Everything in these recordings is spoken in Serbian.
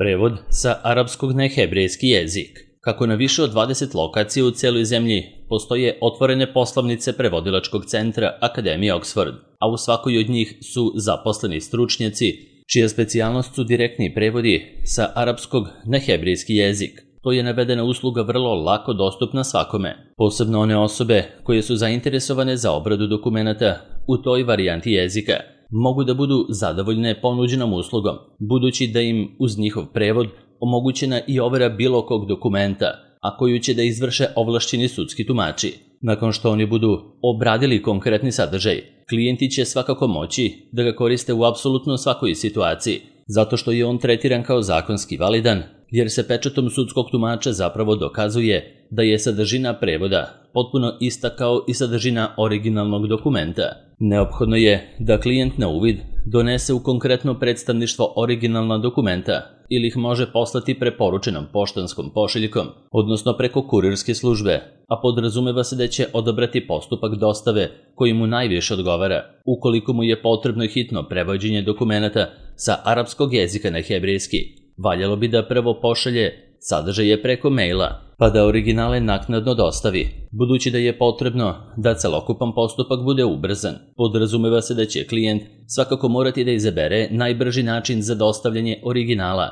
Prevod sa arapskog na hebrejski jezik. Kako na više od 20 lokacija u celoj zemlji postoje otvorene poslovnice prevodilačkog centra Akademije Oxford, a u svakoj od njih su zaposleni stručnjaci, čija specijalnost su direktni prevodi sa arapskog na hebrejski jezik. To je navedena usluga vrlo lako dostupna svakome, posebno one osobe koje su zainteresovane za obradu dokumenata u toj varijanti jezika. Mogu da budu zadovoljne ponuđenom uslugom, budući da im uz njihov prevod omogućena i overa bilo kog dokumenta, a koju će da izvrše ovlašćeni sudski tumači. Nakon što oni budu obradili konkretni sadržaj, klijenti će svakako moći da ga koriste u apsolutno svakoj situaciji, zato što je on tretiran kao zakonski validan, jer se pečatom sudskog tumača zapravo dokazuje da je sadržina prevoda potpuno ista kao i sadržina originalnog dokumenta. Neophodno je da klijent na uvid donese u konkretno predstavništvo originalna dokumenta ili ih može poslati preporučenom poštanskom pošiljkom, odnosno preko kurirske službe, a podrazumeva se da će odabrati postupak dostave koji mu najviše odgovara. Ukoliko mu je potrebno hitno prevođenje dokumenata sa arapskog jezika na hebrejski, valjalo bi da prvo pošalje sadržaje preko maila, pa da originale naknadno dostavi. Budući da je potrebno da celokupan postupak bude ubrzan, podrazumeva se da će klijent svakako morati da izabere najbrži način za dostavljanje originala,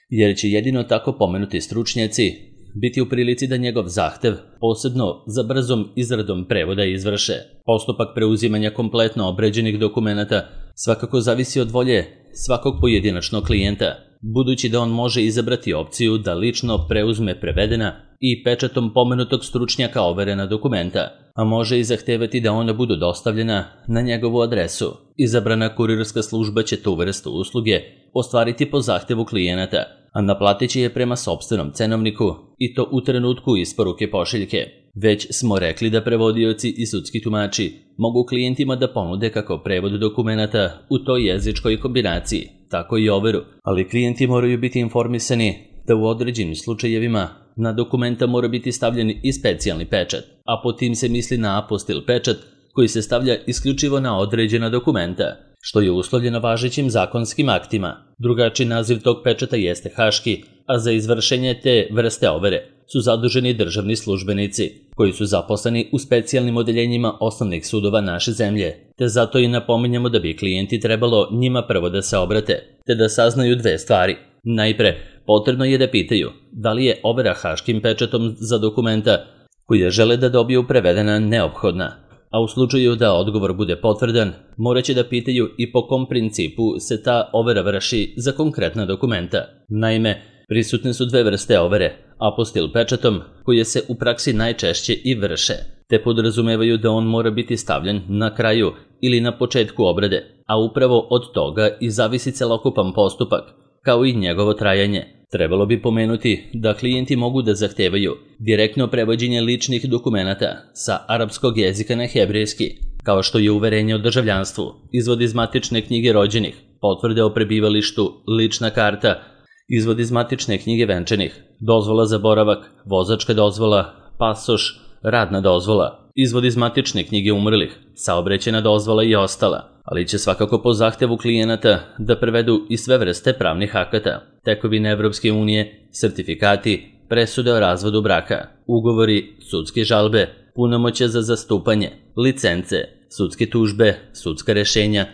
jer će jedino tako pomenuti stručnjaci biti u prilici da njegov zahtev, posebno za brzom izradom prevoda, izvrše. Postupak preuzimanja kompletno obređenih dokumenata svakako zavisi od volje svakog pojedinačnog klijenta, budući da on može izabrati opciju da lično preuzme prevedena i pečatom pomenutog stručnjaka overena dokumenta, a može i zahtevati da ona budu dostavljena na njegovu adresu. Izabrana kurirska služba će tu vrstu usluge ostvariti po zahtevu klijenata, a naplatit će je prema sopstvenom cenovniku i to u trenutku isporuke pošiljke. Već smo rekli da prevodioci i sudski tumači mogu klijentima da ponude kako prevod dokumenata u toj jezičkoj kombinaciji, tako i overu, ali klijenti moraju biti informisani da u određenim slučajevima na dokumenta mora biti stavljen i specijalni pečat, a po tim se misli na apostil pečat koji se stavlja isključivo na određena dokumenta, što je uslovljeno važećim zakonskim aktima. Drugačiji naziv tog pečata jeste haški, a za izvršenje te vrste overe su zaduženi državni službenici, koji su zaposleni u specijalnim odeljenjima osnovnih sudova naše zemlje, te zato i napominjamo da bi klijenti trebalo njima prvo da se obrate, te da saznaju dve stvari. Najpre, potrebno je da pitaju da li je overa haškim pečatom za dokumenta koje žele da dobiju prevedena neophodna, a u slučaju da odgovor bude potvrdan, morat će da pitaju i po kom principu se ta overa vrši za konkretna dokumenta. Naime, prisutne su dve vrste overe, apostil pečatom, koje se u praksi najčešće i vrše, te podrazumevaju da on mora biti stavljen na kraju ili na početku obrade, a upravo od toga i zavisi celokupan postupak, kao i njegovo trajanje. Trebalo bi pomenuti da klijenti mogu da zahtevaju direktno prevođenje ličnih dokumenata sa arapskog jezika na hebrejski, kao što je uverenje o državljanstvu, izvod iz matične knjige rođenih, potvrde o prebivalištu, lična karta, izvod iz matične knjige venčanih, dozvola za boravak, vozačka dozvola, pasoš, radna dozvola, izvod iz matične knjige umrlih, saobraćajna dozvola i ostala, ali će svakako po zahtevu klijenata da prevedu i sve vrste pravnih akata, tekovine Evropske unije, sertifikati, presude o razvodu braka, ugovori, sudske žalbe, punomoćja za zastupanje, licence, sudske tužbe, sudska rešenja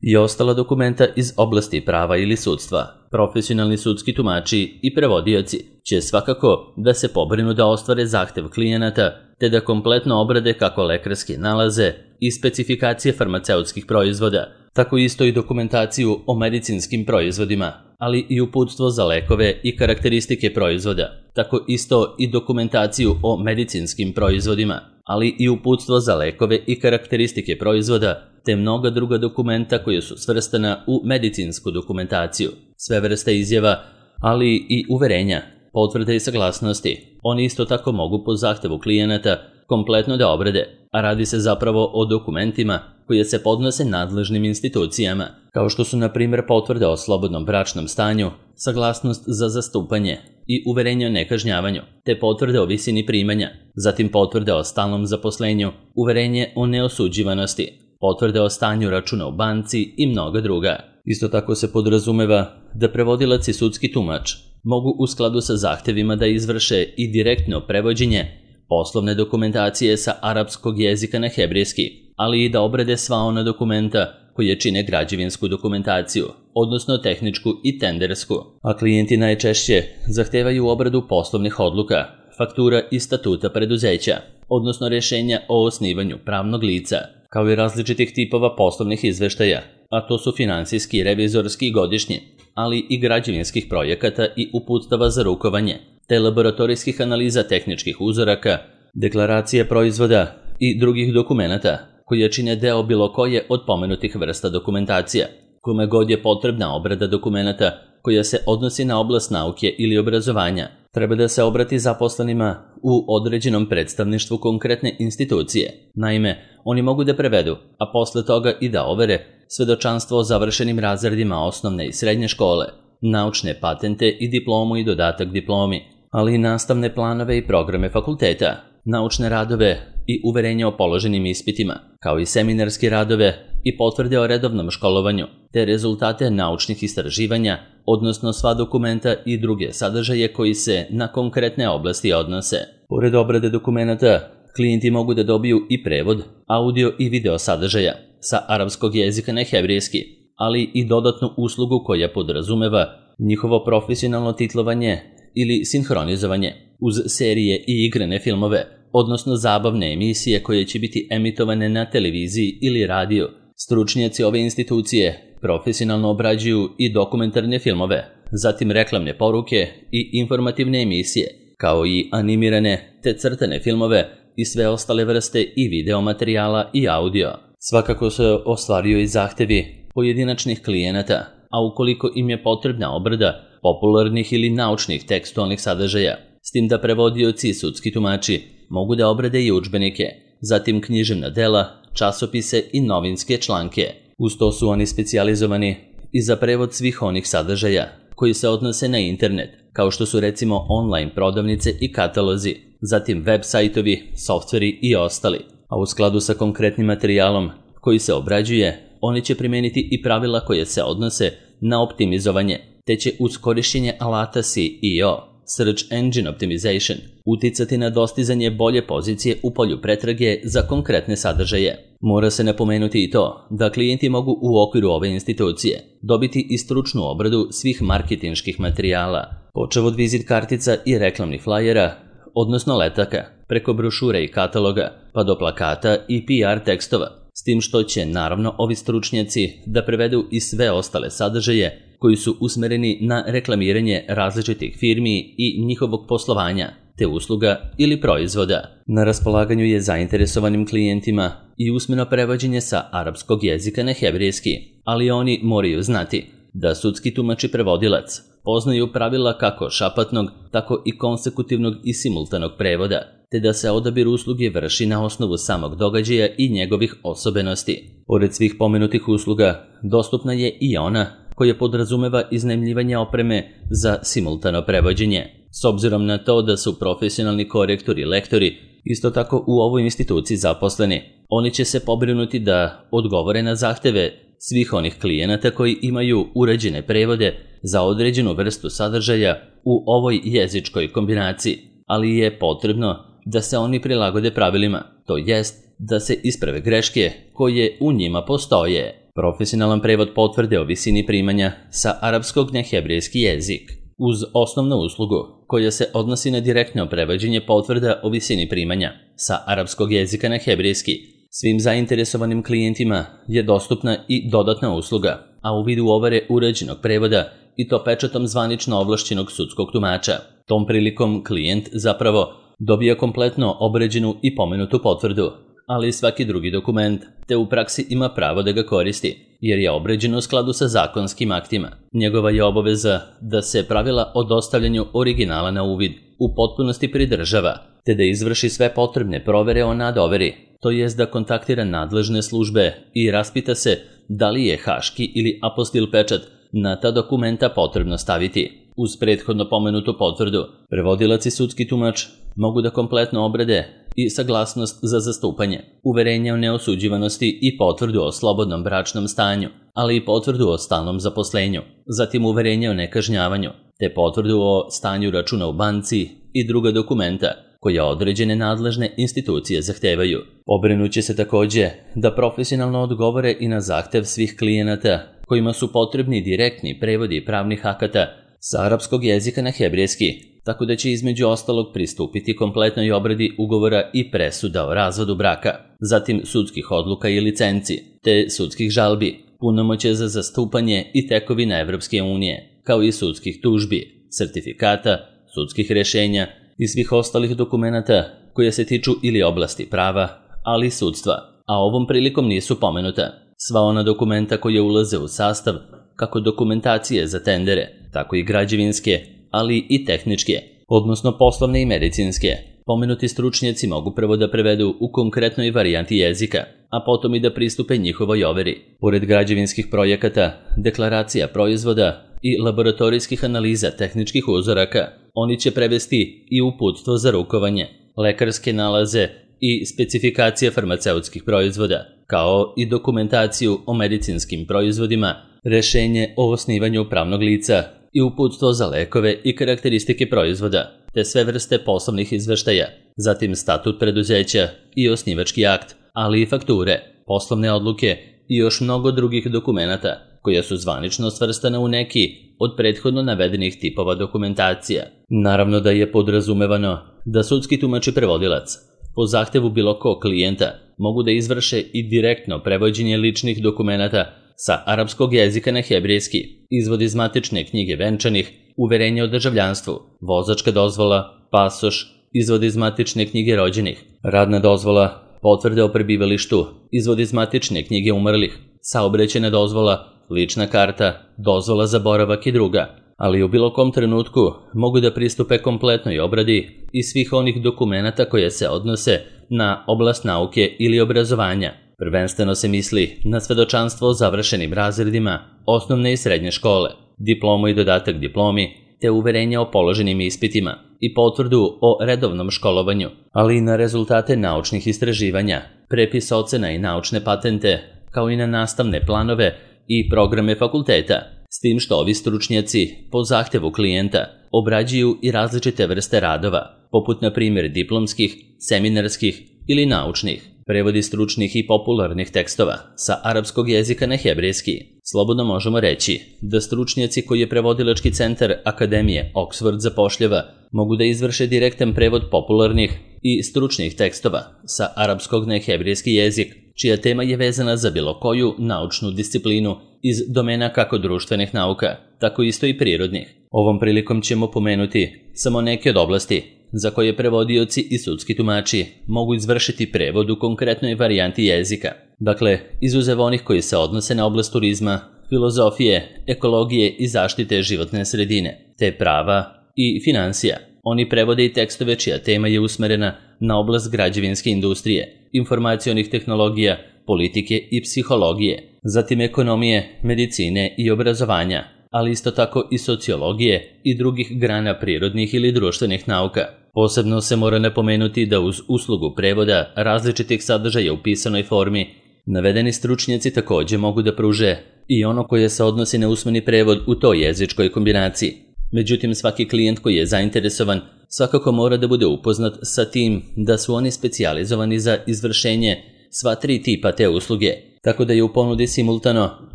i ostala dokumenta iz oblasti prava ili sudstva. Profesionalni sudski tumači i prevodioci će svakako da se pobrinu da ostvare zahtev klijenata, te da kompletno obrade kako lekarske nalaze i specifikacije farmaceutskih proizvoda, tako isto i dokumentaciju o medicinskim proizvodima, ali i uputstvo za lekove i karakteristike proizvoda, tako isto i dokumentaciju o medicinskim proizvodima, ali i uputstvo za lekove i karakteristike proizvoda, te mnoga druga dokumenta koje su svrstana u medicinsku dokumentaciju, sve vrste izjava, ali i uverenja, potvrde i saglasnosti. Oni isto tako mogu po zahtevu klijenata kompletno da obrade, a radi se zapravo o dokumentima koje se podnose nadležnim institucijama, kao što su na primjer potvrde o slobodnom bračnom stanju, saglasnost za zastupanje i uverenje o nekažnjavanju, te potvrde o visini primanja, zatim potvrde o stalnom zaposlenju, uverenje o neosuđivanosti, potvrde o stanju računa u banci i mnoga druga. Isto tako se podrazumeva da prevodilac i sudski tumač mogu u skladu sa zahtevima da izvrše i direktno prevođenje poslovne dokumentacije sa arapskog jezika na hebrejski, ali i da obrade sva ona dokumenta koje čine građevinsku dokumentaciju, odnosno tehničku i tendersku, a klijenti najčešće zahtevaju obradu poslovnih odluka, faktura i statuta preduzeća, odnosno rješenja o osnivanju pravnog lica, kao i različitih tipova poslovnih izveštaja, a to su finansijski, revizorski i godišnji, ali i građevinskih projekata i uputstava za rukovanje, te laboratorijskih analiza tehničkih uzoraka, deklaracije proizvoda i drugih dokumenata koje čine deo bilo koje od pomenutih vrsta dokumentacija, kome god je potrebna obrada dokumenata koja se odnosi na oblast nauke ili obrazovanja, treba da se obrati zaposlenima u određenom predstavništvu konkretne institucije. Naime, oni mogu da prevedu, a posle toga i da overe svedočanstvo o završenim razredima osnovne i srednje škole, naučne patente i diplomu i dodatak diplomi, ali i nastavne planove i programe fakulteta, naučne radove i uverenja o položenim ispitima, kao i seminarske radove i potvrde o redovnom školovanju, te rezultate naučnih istraživanja, odnosno sva dokumenta i druge sadržaje koji se na konkretne oblasti odnose. Pored obrade dokumenata, klijenti mogu da dobiju i prevod, audio i video sadržaja sa arapskog jezika na hebrejski, ali i dodatnu uslugu koja podrazumeva njihovo profesionalno titlovanje ili sinhronizovanje uz serije i igrane filmove, odnosno zabavne emisije koje će biti emitovane na televiziji ili radiju. Stručnjaci ove institucije profesionalno obrađuju i dokumentarne filmove, zatim reklamne poruke i informativne emisije, kao i animirane te crtane filmove i sve ostale vrste i video materijala i audio. Svakako se ostvaruju i zahtevi pojedinačnih klijenata, a ukoliko im je potrebna obrada popularnih ili naučnih tekstualnih sadržaja, s tim da prevodioci i sudski tumači mogu da obrade i udžbenike, zatim književna dela, časopise i novinske članke. Uz to su oni specijalizovani i za prevod svih onih sadržaja koji se odnose na internet, kao što su recimo online prodavnice i katalozi, zatim web sajtovi, softveri i ostali. A u skladu sa konkretnim materijalom koji se obrađuje, oni će primeniti i pravila koje se odnose na optimizovanje, te će uz korišćenje alata SEO, Search Engine Optimization, uticati na dostizanje bolje pozicije u polju pretrage za konkretne sadržaje. Mora se napomenuti i to da klijenti mogu u okviru ove institucije dobiti i stručnu obradu svih marketinških materijala, počev od vizit kartica i reklamnih flajera, odnosno letaka, preko brošure i kataloga, pa do plakata i PR tekstova, s tim što će naravno ovi stručnjaci da prevedu i sve ostale sadržaje koji su usmereni na reklamiranje različitih firmi i njihovog poslovanja, te usluga ili proizvoda. Na raspolaganju je zainteresovanim klijentima i usmeno prevođenje sa arapskog jezika na hebrejski, ali oni moraju znati da sudski tumač i prevodilac poznaju pravila kako šapatnog, tako i konsekutivnog i simultanog prevoda, te da se odabir usluge vrši na osnovu samog događaja i njegovih osobenosti. Pored svih pomenutih usluga, dostupna je i ona koja podrazumeva iznajmljivanje opreme za simultano prevođenje. S obzirom na to da su profesionalni korektori i lektori isto tako u ovoj instituciji zaposleni, oni će se pobrinuti da odgovore na zahteve svih onih klijenata koji imaju uređene prevode za određenu vrstu sadržaja u ovoj jezičkoj kombinaciji, ali je potrebno da se oni prilagode pravilima, to jest da se isprave greške koje u njima postoje. Profesionalan prevod potvrde o visini primanja sa arapskog na hebrejski jezik, uz osnovnu uslugu koja se odnosi na direktno prevođenje potvrda o visini primanja sa arapskog jezika na hebrejski. Svim zainteresovanim klijentima je dostupna i dodatna usluga, a u vidu overe uređenog prevoda i to pečatom zvanično ovlašćenog sudskog tumača. Tom prilikom klijent zapravo dobija kompletno obređenu i pomenutu potvrdu, ali i svaki drugi dokument, te u praksi ima pravo da ga koristi, jer je obređen u skladu sa zakonskim aktima. Njegova je obaveza da se pravila o dostavljanju originala na uvid u potpunosti pridržava, te da izvrši sve potrebne provere o nadoveri, to jest da kontaktira nadležne službe i raspita se da li je haški ili apostil pečat na ta dokumenta potrebno staviti. Uz prethodno pomenutu potvrdu, prevodilac i sudski tumač mogu da kompletno obrade i saglasnost za zastupanje, uverenje o neosuđivanosti i potvrdu o slobodnom bračnom stanju, ali i potvrdu o stalnom zaposlenju, zatim uverenje o nekažnjavanju, te potvrdu o stanju računa u banci i druga dokumenta koja određene nadležne institucije zahtevaju. Pobrinuće se takođe da profesionalno odgovore i na zahtev svih klijenata kojima su potrebni direktni prevodi pravnih akata sa arapskog jezika na hebrejski, tako da će između ostalog pristupiti kompletnoj obradi ugovora i presuda o razvodu braka, zatim sudskih odluka i licenci, te sudskih žalbi, punomoćje za zastupanje i tekovina Evropske unije, kao i sudskih tužbi, sertifikata, sudskih rešenja i svih ostalih dokumenata koje se tiču ili oblasti prava, ali i sudstva, a ovom prilikom nisu pomenuta sva ona dokumenta koje ulaze u sastav kako dokumentacije za tendere, tako i građevinske, ali i tehničke, odnosno poslovne i medicinske. Pomenuti stručnjaci mogu prvo da prevedu u konkretnoj varijanti jezika, a potom i da pristupe njihovoj overi. Pored građevinskih projekata, deklaracija proizvoda i laboratorijskih analiza tehničkih uzoraka, oni će prevesti i uputstvo za rukovanje, lekarske nalaze i specifikacije farmaceutskih proizvoda, kao i dokumentaciju o medicinskim proizvodima, rešenje o osnivanju pravnog lica i uputstvo za lekove i karakteristike proizvoda, te sve vrste poslovnih izveštaja, zatim statut preduzeća i osnivački akt, ali i fakture, poslovne odluke i još mnogo drugih dokumenata, koja su zvanično svrstana u neki od prethodno navedenih tipova dokumentacija. Naravno da je podrazumevano da sudski tumač i prevodilac po zahtevu bilo kog klijenta mogu da izvrše i direktno prevođenje ličnih dokumenata sa arapskog jezika na hebrejski, izvod iz matične knjige venčanih, uverenje o državljanstvu, vozačka dozvola, pasoš, izvod iz matične knjige rođenih, radna dozvola, potvrde o prebivalištu, izvod iz matične knjige umrlih, saobraćajna dozvola, lična karta, dozvola za boravak i druga, ali u bilo kom trenutku mogu da pristupe kompletnoj obradi i svih onih dokumenata koje se odnose na oblast nauke ili obrazovanja. Prvenstveno se misli na svedočanstvo o završenim razredima osnovne i srednje škole, diplomu i dodatak diplomi, te uverenje o položenim ispitima i potvrdu o redovnom školovanju, ali i na rezultate naučnih istraživanja, prepis ocena i naučne patente, kao i na nastavne planove i programe fakulteta, s tim što ovi stručnjaci, po zahtevu klijenta, obrađuju i različite vrste radova, poput na primjer diplomskih, seminarskih ili naučnih, prevodi stručnih i popularnih tekstova sa arapskog jezika na hebrejski. Slobodno možemo reći da stručnjaci koji je prevodilački centar Akademije Oxford zapošljava mogu da izvrše direktan prevod popularnih i stručnih tekstova sa arapskog na hebrejski jezik, čija tema je vezana za bilo koju naučnu disciplinu iz domena kako društvenih nauka, tako isto i prirodnih. Ovom prilikom ćemo pomenuti samo neke od oblasti za koje prevodioci i sudski tumači mogu izvršiti prevod u konkretnoj varijanti jezika. Dakle, izuzev onih koji se odnose na oblast turizma, filozofije, ekologije i zaštite životne sredine, te prava i finansija. Oni prevode i tekstove čija tema je usmerena na oblast građevinske industrije, informacionih tehnologija, politike i psihologije, zatim ekonomije, medicine i obrazovanja, ali isto tako i sociologije i drugih grana prirodnih ili društvenih nauka. Posebno se mora napomenuti da uz uslugu prevoda različitih sadržaja u pisanoj formi, navedeni stručnjaci takođe mogu da pruže i ono koje se odnosi na usmeni prevod u toj jezičkoj kombinaciji. Međutim, svaki klijent koji je zainteresovan svakako mora da bude upoznat sa tim da su oni specijalizovani za izvršenje sva tri tipa te usluge, tako da je u ponudi simultano,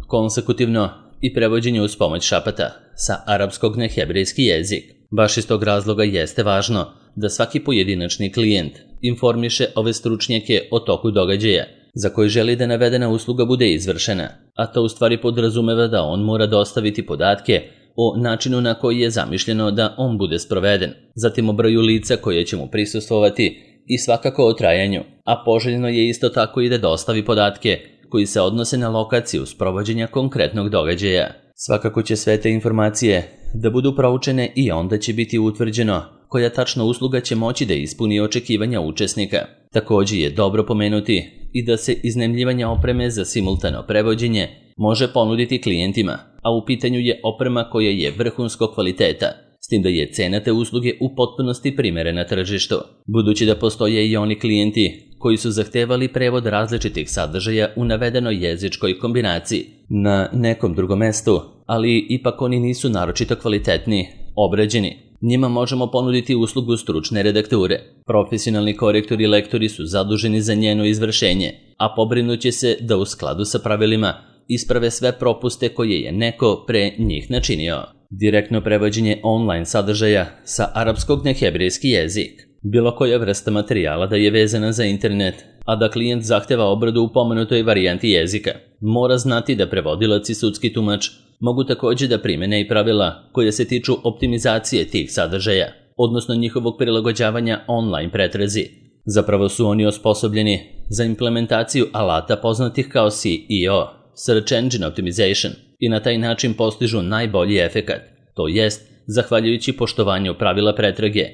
konsekutivno i prevođenje uz pomoć šapata sa arapskog na hebrejski jezik. Baš iz tog razloga jeste važno da svaki pojedinačni klijent informiše ove stručnjake o toku događaja za koji želi da navedena usluga bude izvršena, a to u stvari podrazumeva da on mora dostaviti podatke o načinu na koji je zamišljeno da on bude sproveden, zatim o broju lica koje će mu prisustvovati i svakako o trajanju, a poželjno je isto tako i da dostavi podatke koji se odnose na lokaciju sprovođenja konkretnog događaja. Svakako će sve te informacije da budu proučene i onda će biti utvrđeno koja tačna usluga će moći da ispuni očekivanja učesnika. Također je dobro pomenuti i da se iznajmljivanje opreme za simultano prevođenje može ponuditi klijentima, a u pitanju je oprema koja je vrhunskog kvaliteta, s tim da je cena te usluge u potpunosti primerena tržištu. Budući da postoje i oni klijenti koji su zahtevali prevod različitih sadržaja u navedenoj jezičkoj kombinaciji na nekom drugom mestu, ali ipak oni nisu naročito kvalitetni, obrađeni. Njima možemo ponuditi uslugu stručne redakture. Profesionalni korektori i lektori su zaduženi za njeno izvršenje, a pobrinuće se da u skladu sa pravilima isprave sve propuste koje je neko pre njih načinio. Direktno prevođenje online sadržaja sa arapskog na hebrejski jezik. Bilo koja vrsta materijala da je vezana za internet, a da klijent zahteva obradu u pomenutoj varijanti jezika, mora znati da prevodilac i sudski tumač mogu također da primene i pravila koje se tiču optimizacije tih sadržaja, odnosno njihovog prilagođavanja online pretrazi. Zapravo su oni osposobljeni za implementaciju alata poznatih kao SEO, Search Engine Optimization, i na taj način postižu najbolji efekat, to jest, zahvaljujući poštovanju pravila pretrage.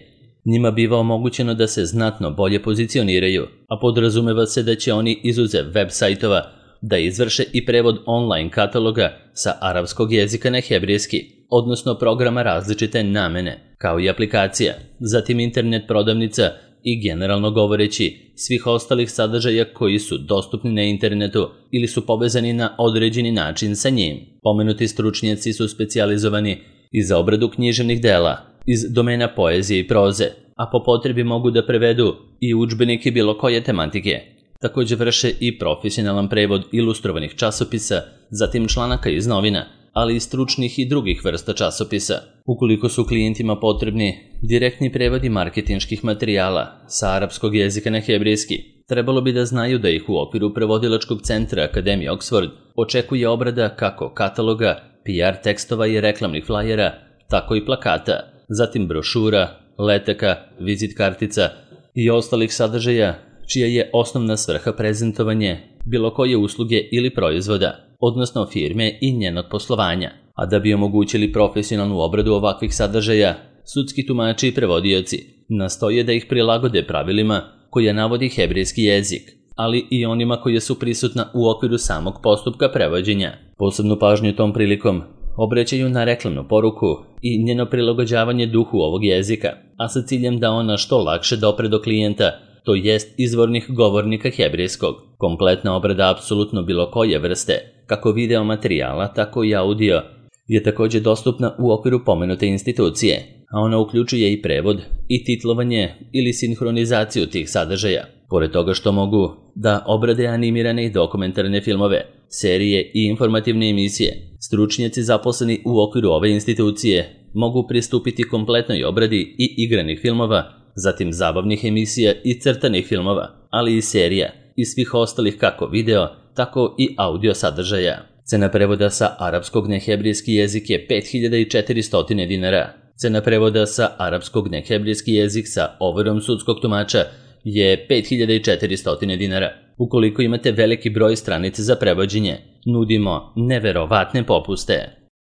Njima biva omogućeno da se znatno bolje pozicioniraju, a podrazumeva se da će oni izuzev web sajtova da izvrše i prevod online kataloga sa arapskog jezika na hebrejski, odnosno programa različite namene, kao i aplikacija, zatim internet prodavnica i generalno govoreći svih ostalih sadržaja koji su dostupni na internetu ili su povezani na određeni način sa njim. Pomenuti stručnjaci su specijalizovani i za obradu književnih dela iz domena poezije i proze, a po potrebi mogu da prevedu i udžbenike bilo koje tematike. Također vrše i profesionalan prevod ilustrovanih časopisa, zatim članaka iz novina, ali i stručnih i drugih vrsta časopisa. Ukoliko su klijentima potrebni direktni prevodi marketinških materijala sa arapskog jezika na hebrejski, trebalo bi da znaju da ih u okviru prevodilačkog centra Akademije Oxford očekuje obrada kako kataloga, PR tekstova i reklamnih flajera, tako i plakata, zatim brošura, letaka, vizit kartica i ostalih sadržaja čija je osnovna svrha prezentovanje bilo koje usluge ili proizvoda, odnosno firme i njenog poslovanja. A da bi omogućili profesionalnu obradu ovakvih sadržaja, sudski tumači i prevodioci nastoje da ih prilagode pravilima koje navodi hebrejski jezik, ali i onima koje su prisutna u okviru samog postupka prevođenja. Posebnu pažnju tom prilikom obraćaju na reklamnu poruku i njeno prilagođavanje duhu ovog jezika, a sa ciljem da ona što lakše dopre do klijenta, to jest izvornih govornika hebrejskog. Kompletna obrada apsolutno bilo koje vrste, kako video materijala, tako i audio, je također dostupna u okviru pomenute institucije, a ona uključuje i prevod i titlovanje ili sinhronizaciju tih sadržaja. Pored toga što mogu da obrade animirane i dokumentarne filmove, serije i informativne emisije, stručnjaci zaposleni u okviru ove institucije mogu pristupiti kompletnoj obradi i igranih filmova, zatim zabavnih emisija i crtanih filmova, ali i serija i svih ostalih kako video, tako i audio sadržaja. Cena prevoda sa arapskog na hebrejski jezik je 5400 dinara. Cena prevoda sa arapskog na hebrejski jezik sa overom sudskog tumača je 5400 dinara. Ukoliko imate veliki broj stranica za prevođenje, nudimo neverovatne popuste.